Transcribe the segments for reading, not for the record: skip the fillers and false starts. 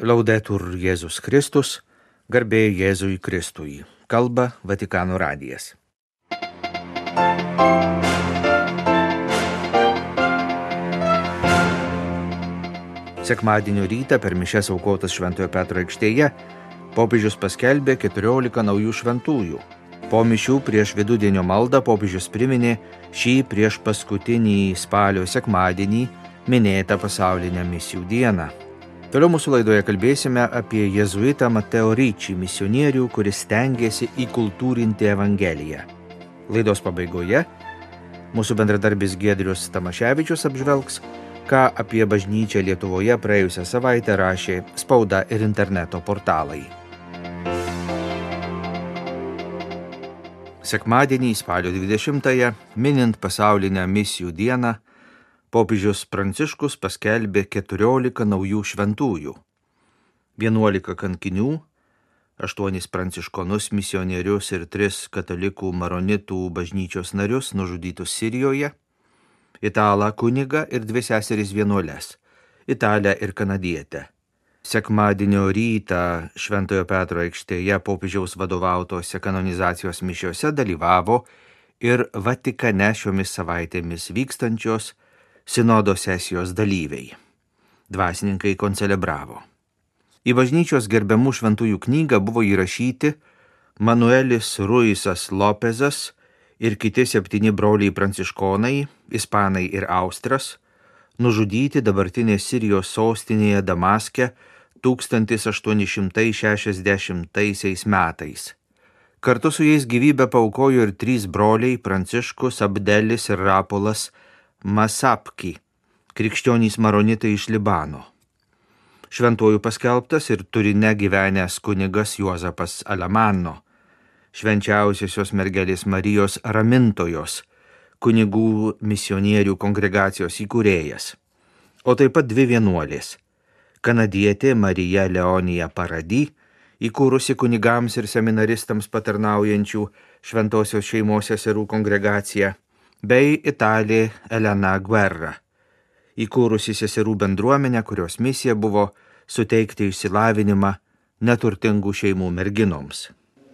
Laudetur Jėzus Kristus, garbė Jėzui Kristui, kalba Vatikano radijas. Sekmadienio rytą per mišias aukotas Šventojo Petro aikštėje popiežius paskelbė 14 naujų šventųjų. Po mišių prieš vidudienio maldą popiežius priminė šį prieš paskutinį spalio sekmadienį minėtą pasaulinę misijų dieną. Toliau mūsų laidoje kalbėsime apie jėzuitą Mateo Ricci, misionierių, kuris stengiasi įkultūrinti Evangeliją. Laidos pabaigoje mūsų bendradarbis Giedrius Tamaševičius apžvelgs, ką apie bažnyčią Lietuvoje praėjusią savaitę rašė spauda ir interneto portalai. Sekmadienį spalio 20-ąją, minint pasaulinę misijų dieną, popiežius Pranciškus paskelbė 14 naujų šventųjų. 11 kankinių, 8 pranciškonus misionierius ir 3 katalikų maronitų bažnyčios narius nužudytus Sirijoje, italą kunigą ir 2 seseris vienuoles, italę ir kanadietę. Sekmadienio rytą Šventojo Petro aikštėje popiežiaus vadovautose kanonizacijos mišiose dalyvavo ir Vatikane šiomis savaitėmis vykstančios sinodo sesijos dalyviai. Dvasininkai koncelebravo. Į bažnyčios gerbiamų šventųjų knygą buvo įrašyti Manuelis Ruisas Lopezas ir kiti 7 broliai pranciškonai, ispanai ir austras, nužudyti dabartinės Sirijos sostinėje Damaske 1860 metais. Kartu su jais gyvybę paaukojo ir 3 broliai Pranciškus, Abdelis ir Rapolas Masapki, krikščionys maronitai iš Libano. Šventuoju paskelbtas ir Turine gyvenęs kunigas Juozapas Alemanno, švenčiausiosios mergelės Marijos ramintojos, kunigų misionierių kongregacijos įkūrėjas, o taip pat 2 vienuolės, kanadietė Marija Leonija Paradi, įkūrusi kunigams ir seminaristams patarnaujančių šventosios šeimos seserų kongregaciją, bei italė Elena Guerra, įkūrusi seserų bendruomenę, kurios misija buvo suteikti išsilavinimą neturtingų šeimų merginoms.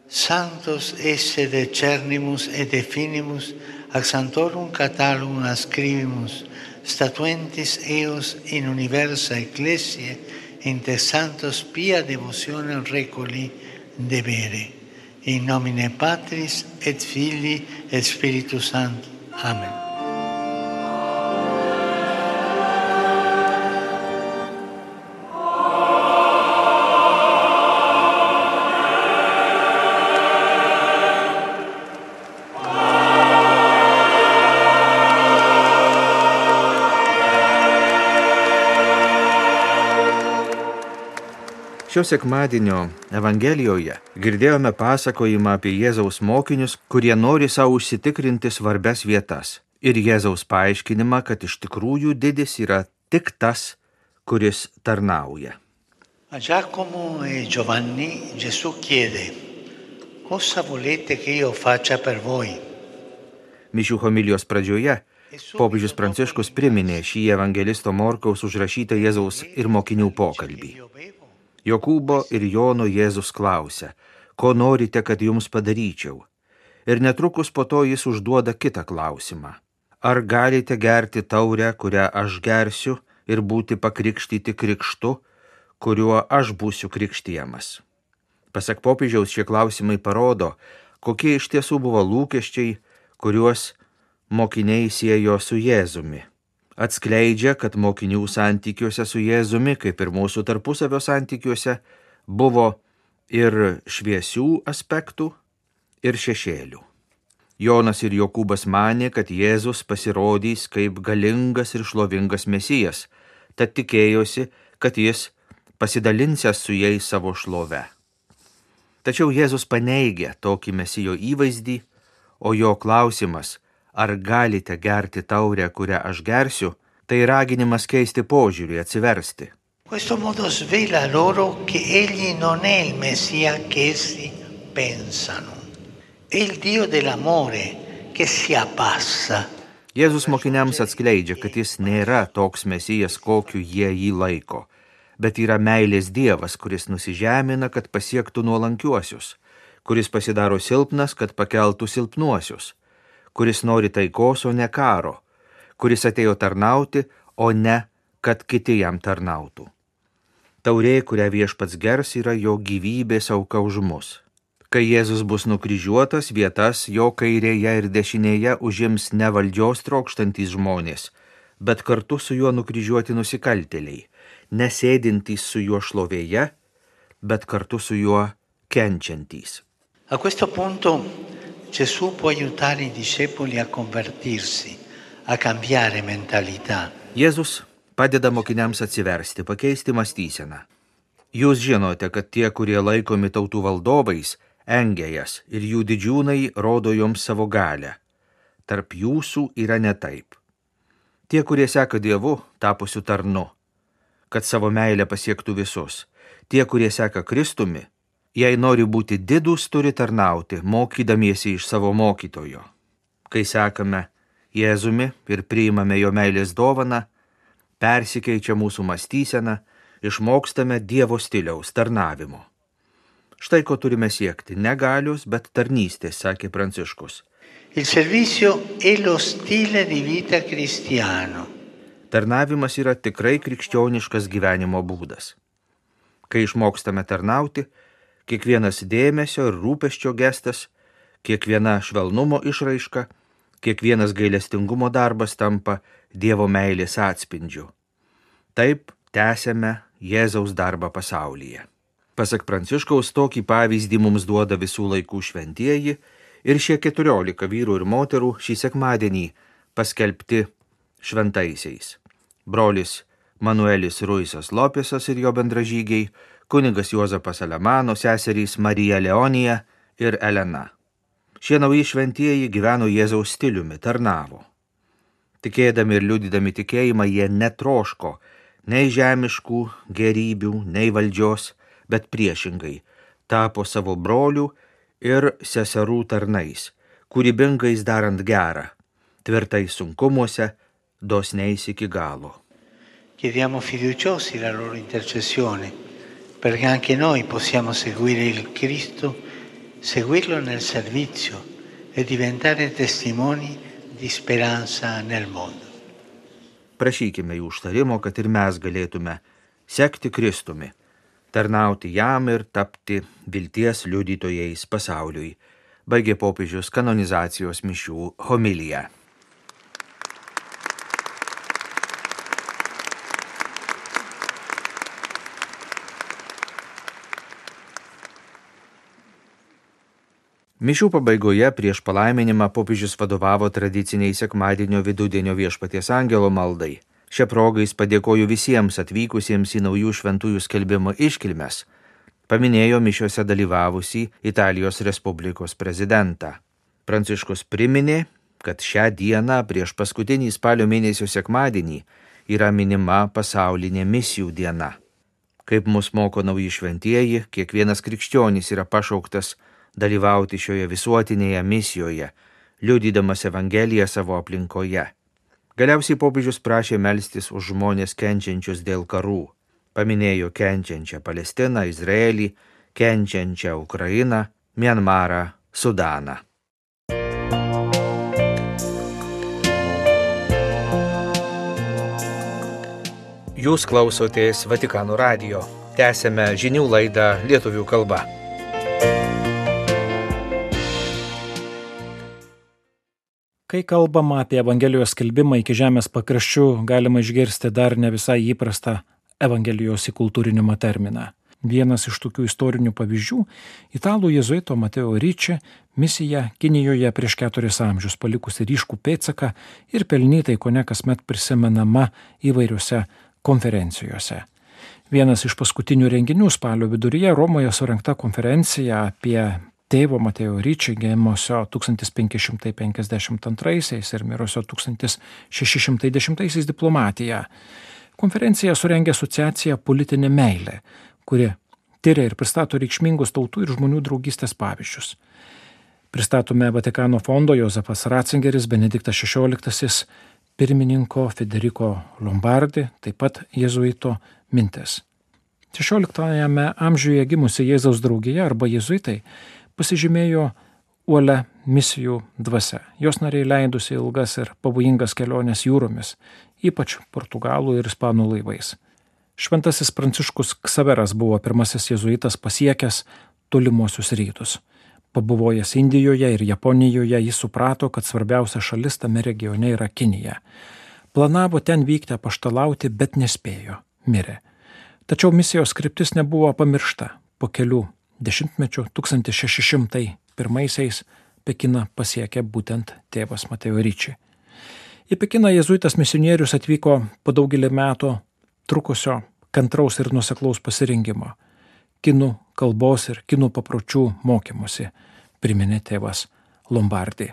Sanctos esse decernimus et definimus ac sanctorum catalogum ascribimus, statuentis eos in universa ecclesia, inter santos pia devotionem recoli debere. In nomine Patris et Filii et Spiritus Sancti. Amen. Šio sekmadienio Evangelijoje girdėjome pasakojimą apie Jėzaus mokinius, kurie nori savo užsitikrinti svarbias vietas, ir Jėzaus paaiškinimą, kad iš tikrųjų didis yra tik tas, kuris tarnauja. A Giacomo e Giovanni Gesù chiede: Cosa volete che io faccia per voi? Mišių homilijos pradžioje popiežius Pranciškus priminė šį evangelisto Morkaus užrašytą Jėzaus ir mokinių pokalbį. Jokūbo ir Jono Jėzus klausia, ko norite, kad jums padaryčiau? Ir netrukus po to jis užduoda kitą klausimą. Ar galite gerti taurę, kurią aš gersiu, ir būti pakrikštyti krikštu, kuriuo aš būsiu krikštijamas? Pasak popiežiaus, šie klausimai parodo, kokie iš tiesų buvo lūkesčiai, kuriuos mokiniai siejo su Jėzumi. Atskleidžia, kad mokinių santykiuose su Jėzumi, kaip ir mūsų tarpusavio santykiuose, buvo ir šviesių aspektų, ir šešėlių. Jonas ir Jokūbas manė, kad Jėzus pasirodys kaip galingas ir šlovingas mesijas, tad tikėjosi, kad jis pasidalinsęs su jais savo šlove. Tačiau Jėzus paneigė tokį mesijo įvaizdį, o jo klausimas, ar galite gerti taurę, kurią aš gersiu, tai raginimas keisti požiūrį, atsiversti. Questo modo svela loro che egli non è il Messia che essi pensano. È il Dio dell'amore che si abbassa. Jėzus mokiniams atskleidžia, kad jis nėra toks mesijas, kokiu jie jį laiko, bet yra meilės Dievas, kuris nusižemina, kad pasiektų nuolankiuosius, kuris pasidaro silpnas, kad pakeltų silpnuosius, kuris nori taikos, o ne karo, kuris atėjo tarnauti, o ne, kad kiti jam tarnautų. Taurė, kurią Viešpats gers, yra jo gyvybės auka už mus. Kai Jėzus bus nukryžiuotas, vietas jo kairėje ir dešinėje užims ne valdžios trokštantys žmonės, bet kartu su juo nukryžiuoti nusikaltėliai, nesėdintys su juo šlovėje, bet kartu su juo kenčiantys. A questo punto Gesù può aiutare i discepoli a convertirsi, a cambiare mentalità. Jėzus padeda mokiniams atsiversti, pakeisti mąstyseną. Jūs žinote, kad tie, kurie laikomi tautų valdovais, engia jas ir jų didžiūnai rodo joms savo galią. Tarp jūsų yra ne taip. Tie, kurie seka Dievu, tapusiu tarnu, kad savo meilę pasiektų visus. Tie, kurie seka Kristumi, jei nori būti didūs, turi tarnauti, mokydamiesi iš savo mokytojo. Kai sekame Jėzumi ir priimame jo meilės dovaną, persikeičia mūsų mąstysena, išmokstame Dievo stiliaus tarnavimo. Štai ko turime siekti, ne galios, bet tarnystės, sakė Pranciškus. Il servizio è lo stile di vita cristiano. Tarnavimas yra tikrai krikščioniškas gyvenimo būdas. Kai išmokstame tarnauti, kiekvienas dėmesio ir rūpesčio gestas, kiekviena švelnumo išraiška, kiekvienas gailestingumo darbas tampa Dievo meilės atspindžiu. Taip tęsiame Jėzaus darbą pasaulyje. Pasak Pranciškaus, tokį pavyzdį mums duoda visų laikų šventieji ir šie 14 vyrų ir moterų šį sekmadienį paskelbti šventaisiais. Brolis Manuelis Ruisas Lopesas ir jo bendražygiai, kunigas Juozapas Alemano, seserys Marija Leonija ir Elena. Šie nauji šventieji gyveno Jėzaus stiliumi, tarnavo. Tikėdami ir liudydami tikėjimą, jie netroško nei žemiškų gerybių, nei valdžios, bet priešingai tapo savo brolių ir seserų tarnais, kūrybingais darant gerą, tvirtai sunkumuose, dosniais iki galo. Chiediamo fiduciosi la loro intercessione, perché anche noi possiamo seguire il Cristo, seguirlo nel servizio e diventare testimoni di speranza nel mondo. Prašykime jų užtarimo, kad ir mes galėtume sekti Kristumi, tarnauti jam ir tapti vilties liudytojais pasauliui, baigė popiežius kanonizacijos mišių homiliją. Mišių pabaigoje prieš palaiminimą popiežius vadovavo tradiciniai sekmadienio vidudienio Viešpaties angelo maldai. Šią progą jis padėkojo visiems atvykusiems į naujų šventųjų skelbimo iškilmes. Paminėjo mišiuose dalyvavusį Italijos Respublikos prezidentą. Pranciškus priminė, kad šią dieną prieš paskutinį spalio mėnesio sekmadienį yra minima pasaulinė misijų diena. Kaip mus moko nauji šventieji, kiekvienas krikščionis yra pašauktas dalyvauti šioje visuotinėje misijoje, liudydamas Evangeliją savo aplinkoje. Galiausiai popiežius prašė melstis už žmonės kenčiančius dėl karų. Paminėjo kenčiančią Palestiną, Izraelį, kenčiančią Ukrainą, Mianmarą, Sudaną. Jūs klausotės Vatikano radijo. Tęsiame žinių laidą lietuvių kalba. Kai kalbama apie Evangelijos skelbimą iki žemės pakraščių, galima išgirsti dar ne visai įprastą Evangelijos įkultūrinimo terminą. Vienas iš tokių istorinių pavyzdžių – italų jėzuito Mateo Ricci misija Kinijoje prieš 4 amžius, palikusi ryškų pėdsaką ir pelnytai kone kasmet prisimenama įvairiuose konferencijose. Vienas iš paskutinių renginių spalio viduryje Romoje surengta konferencija apie tėvo Mateo Ricci gimusio 1552 ir mirusio 1610 diplomatiją. Konferenciją surengė asociacija Politinė meilė, kuri tyria ir pristato reikšmingus tautų ir žmonių draugystės pavyzdžius. Pristatome Vatikano fondo Jozefas Ratzingeris, Benediktas XVI, pirmininko Federico Lombardi, taip pat jėzuito mintis. XVI amžiuje gimusi Jėzaus draugija arba jėzuitai pasižymėjo uolia misijų dvasia. Jos nariai leidusi ilgas ir pavojingas keliones jūromis, ypač portugalų ir ispanų laivais. Šventasis Pranciškus Ksaveras buvo pirmasis jėzuitas pasiekęs tolimuosius rytus. Pabuvojęs Indijoje ir Japonijoje, jis suprato, kad svarbiausia šalis tame regione yra Kinija. Planavo ten vykti apaštalauti, bet nespėjo, mirė. Tačiau misijos kryptis nebuvo pamiršta. Po kelių dešimtmečių 1601 Pekiną pasiekė būtent tėvas Mateo Ricci. Į Pekiną jėzuitas misionierius atvyko po daugelį metų trukusio kantraus ir nuoseklaus pasirinkimo, kinų kalbos ir kinų papročių mokymusi, priminė tėvas Lombardi.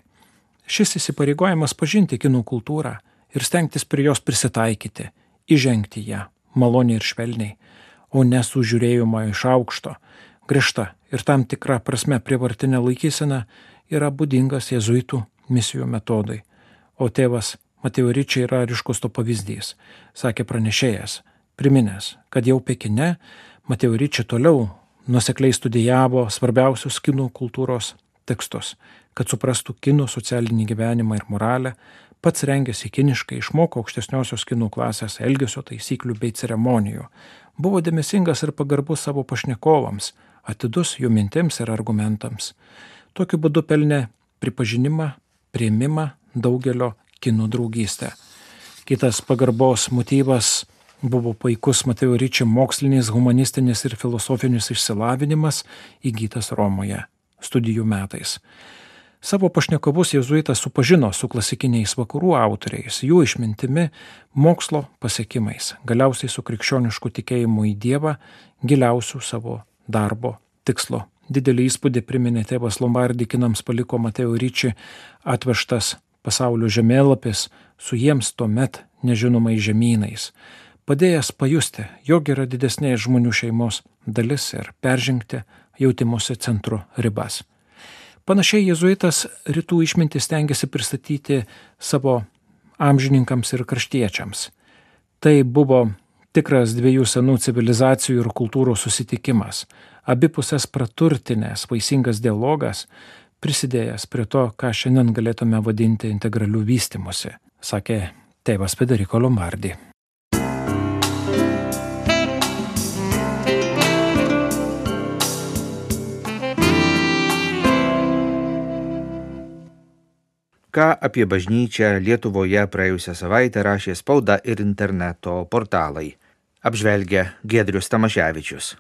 Šis įsipareigojimas pažinti kinų kultūrą ir stengtis prie jos prisitaikyti, įžengti ją maloniai ir švelniai, o ne su žiūrėjimo iš aukšto, griežta ir tam tikra prasme prievartinė laikysena yra būdingas jėzuitų misijų metodai, o tėvas Mateo Ricci yra ryškus to pavyzdys, sakė pranešėjas, priminęs, kad jau Pekine Mateo Ricci toliau nuosekliai studijavo svarbiausius kinų kultūros tekstus, kad suprastų kinų socialinį gyvenimą ir moralę, pats rengėsi kiniškai, išmoko aukštesniosios kinų klasės elgesio taisyklių bei ceremonijų, buvo dėmesingas ir pagarbus savo pašnekovams, atidus jų mintims ir argumentams. Tokiu būdu pelnė pripažinimą, priėmimą daugelio kinų draugystę. Kitas pagarbos motyvas buvo puikus Mateo Ricci mokslinis, humanistinis ir filosofinis išsilavinimas įgytas Romoje studijų metais. Savo pašnekovus jėzuitas supažino su klasikiniais vakarų autoriais, jų išmintimi, mokslo pasiekimais, galiausiai su krikščionišku tikėjimu į Dievą, giliausių savo darbo tikslo. Didelį įspūdį priminė tėvas Lombardi kinams paliko Mateo Ricci atvežtas pasaulio žemėlapis su jiems tuomet nežinomais žemynais, padėjęs pajusti, jog yra didesnė žmonių šeimos dalis ir peržengti jautimosi centro ribas. Panašiai jėzuitas rytų išmintį stengiasi pristatyti savo amžininkams ir kraštiečiams. Tai buvo tikras dviejų senų civilizacijų ir kultūrų susitikimas, abipusės praturtinės vaisingas dialogas, prisidėjęs prie to, ką šiandien galėtume vadinti integraliu vystymusi, sakė tėvas Federico Lombardi. Ką apie bažnyčią Lietuvoje praėjusią savaitę rašė spauda ir interneto portalai. Apžvelgia Giedrius Tamaševičius.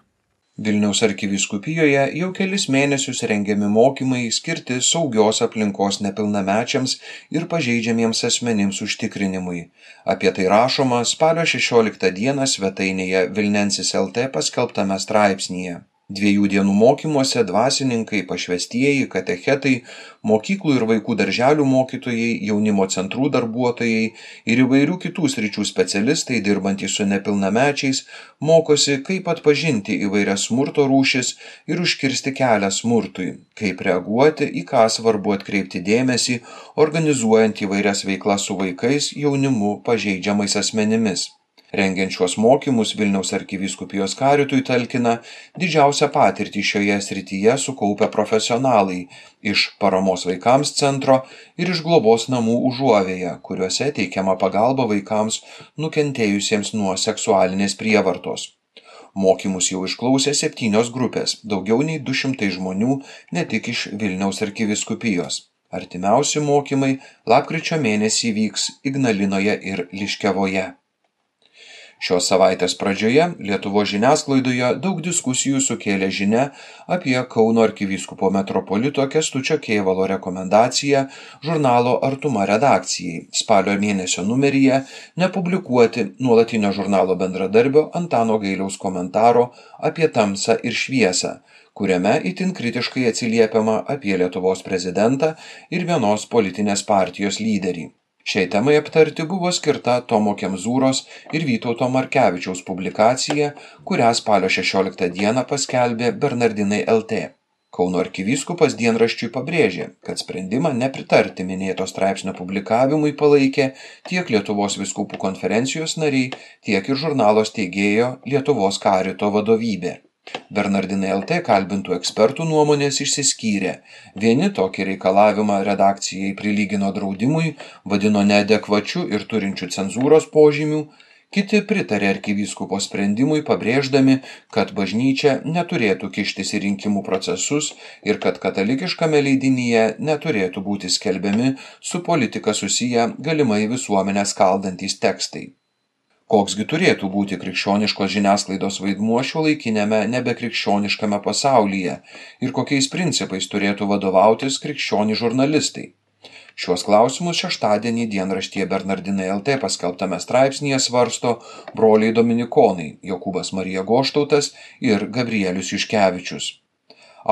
Vilniaus arkivyskupijoje jau kelis mėnesius rengiami mokymai skirti saugios aplinkos nepilnamečiams ir pažeidžiamiems asmenims užtikrinimui. Apie tai rašoma spalio 16 dieną svetainėje Vilnensis LT paskelbtame straipsnyje. 2 dienų mokymuose dvasininkai, pašvestieji, katechetai, mokyklų ir vaikų darželių mokytojai, jaunimo centrų darbuotojai ir įvairių kitų sričių specialistai dirbantys su nepilnamečiais mokosi, kaip atpažinti įvairias smurto rūšis ir užkirsti kelią smurtui, kaip reaguoti, į ką svarbu atkreipti dėmesį, organizuojant įvairias veiklas su vaikais, jaunimu, pažeidžiamais asmenimis. Rengiant šiuos mokymus Vilniaus arkivyskupijos karitui talkina didžiausią patirtį šioje srityje sukaupę profesionalai iš Paramos vaikams centro ir iš globos namų Užuovėje, kuriuose teikiama pagalba vaikams nukentėjusiems nuo seksualinės prievartos. Mokymus jau išklausė 7 grupės, daugiau nei 200 žmonių ne tik iš Vilniaus arkivyskupijos. Artimiausi mokymai lapkričio mėnesį vyks Ignalinoje ir Liškevoje. Šios savaitės pradžioje Lietuvos žiniasklaidoje daug diskusijų sukėlė žinia apie Kauno arkivyskupo metropolito Kęstučio Kėvalo rekomendaciją žurnalo Artuma redakcijai spalio mėnesio numeryje nepublikuoti nuolatinio žurnalo bendradarbio Antano Gailiaus komentaro apie tamsą ir šviesą, kuriame itin kritiškai atsiliepiama apie Lietuvos prezidentą ir vienos politinės partijos lyderį. Šiai temai aptarti buvo skirta Tomo Kemzūros ir Vytauto Markevičiaus publikacija, kurią spalio 16 dieną paskelbė Bernardinai LT. Kauno arkivyskupas dienraščiui pabrėžė, kad sprendimą nepritarti minėto straipsnio publikavimui palaikė tiek Lietuvos vyskupų konferencijos nariai, tiek ir žurnalo steigėjo Lietuvos karito vadovybė. Bernardinai LT kalbintų ekspertų nuomonės išsiskyrė. Vieni tokį reikalavimą redakcijai prilygino draudimui, vadino neadekvačiu ir turinčiu cenzūros požymių, kiti pritarė arkivyskupo sprendimui, pabrėždami, kad bažnyčia neturėtų kištis į rinkimų procesus ir kad katalikiškame leidinyje neturėtų būti skelbiami su politika susiję galimai visuomenę skaldantys tekstai. Koksgi turėtų būti krikščioniškos žiniasklaidos vaidmuo šiuolaikinėme nebekrikščioniškame pasaulyje ir kokiais principais turėtų vadovautis krikščioni žurnalistai? Šiuos klausimus šeštadienį dienraštyje Bernardinai LT paskelbtame straipsnyje svarsto broliai dominikonai Jokūbas Marija Goštautas ir Gabrielius Juškevičius.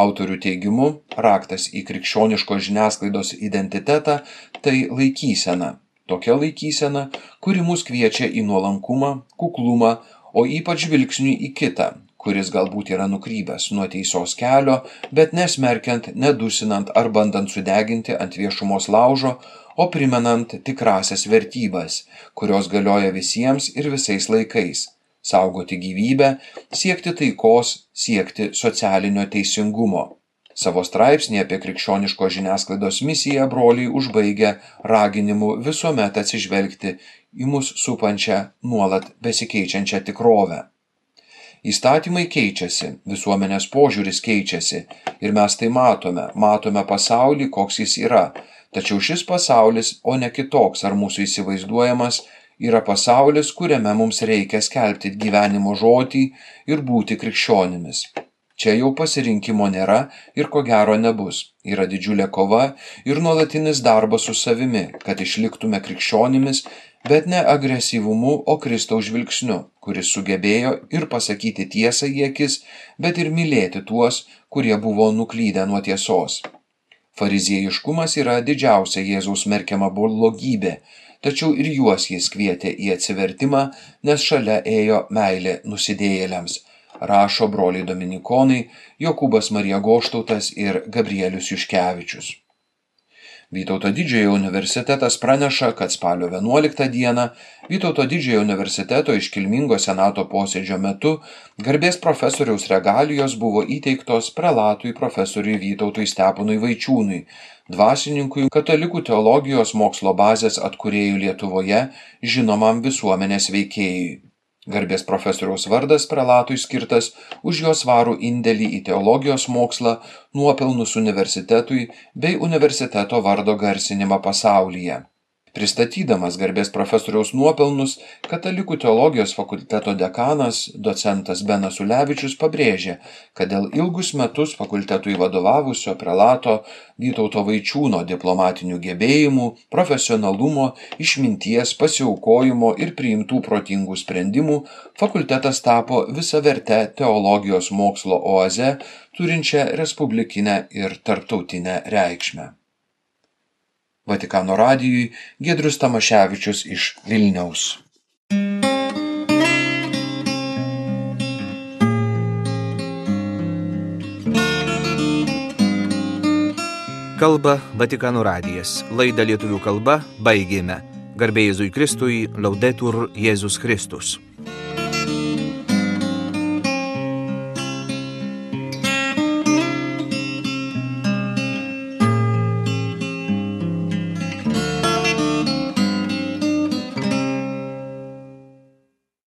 Autorių teigimu, raktas į krikščioniškos žiniasklaidos identitetą tai laikysena. Tokia laikysena, kuri mus kviečia į nuolankumą, kuklumą, o ypač žvilgsniui į kitą, kuris galbūt yra nukrypęs nuo teisos kelio, bet nesmerkiant, nedusinant ar bandant sudeginti ant viešumos laužo, o primenant tikrasias vertybes, kurios galioja visiems ir visais laikais – saugoti gyvybę, siekti taikos, siekti socialinio teisingumo. Savo straipsnį apie krikščioniškos žiniasklaidos misiją broliai užbaigia raginimu visuomet atsižvelgti į mus supančią, nuolat besikeičiančią tikrovę. Įstatymai keičiasi, visuomenės požiūris keičiasi ir mes tai matome pasaulį, koks jis yra, tačiau šis pasaulis, o ne kitoks ar mūsų įsivaizduojamas, yra pasaulis, kuriame mums reikia skelbti gyvenimo žodį ir būti krikščionimis. Čia jau pasirinkimo nėra ir ko gero nebus. Yra didžiulė kova ir nuolatinis darbas su savimi, kad išliktume krikščionimis, bet ne agresyvumu, o Kristaus žvilgsniu, kuris sugebėjo ir pasakyti tiesą į akis, bet ir mylėti tuos, kurie buvo nuklydę nuo tiesos. Fariziejiškumas yra didžiausia Jėzaus smerkiama blogybė, tačiau ir juos jis kvietė į atsivertimą, nes šalia ėjo meilė nusidėjėliams, rašo broliai dominikonai Jokūbas Marija Goštautas ir Gabrielius Juškevičius. Vytauto Didžiojo universitetas praneša, kad spalio 11 dieną Vytauto Didžiojo universiteto iškilmingo senato posėdžio metu garbės profesoriaus regalijos buvo įteiktos prelatui profesoriui Vytautui Steponui Vaičiūnui, dvasininkui katalikų teologijos mokslo bazės atkūrėjų Lietuvoje, žinomam visuomenės veikėjui. Garbės profesoriaus vardas prelatui skirtas už jo svarų indėlį į teologijos mokslą, nuopelnus universitetui bei universiteto vardo garsinimą pasaulyje. Pristatydamas garbės profesoriaus nuopelnus, Katalikų teologijos fakulteto dekanas, docentas Benas Ulevičius pabrėžė, kad dėl ilgus metus fakultetui vadovavusio prelato Vytauto Vaičiūno diplomatinių gebėjimų, profesionalumo, išminties, pasiaukojimo ir priimtų protingų sprendimų, fakultetas tapo visaverte teologijos mokslo oaze, turinčią respublikinę ir tarptautinę reikšmę. Vatikano radijui Giedrius Tamaševičius iš Vilniaus. Kalba Vatikano radijas. Laidą lietuvių kalba baigėme. Garbė Jėzui Kristui, Laudetur Jėzus Kristus.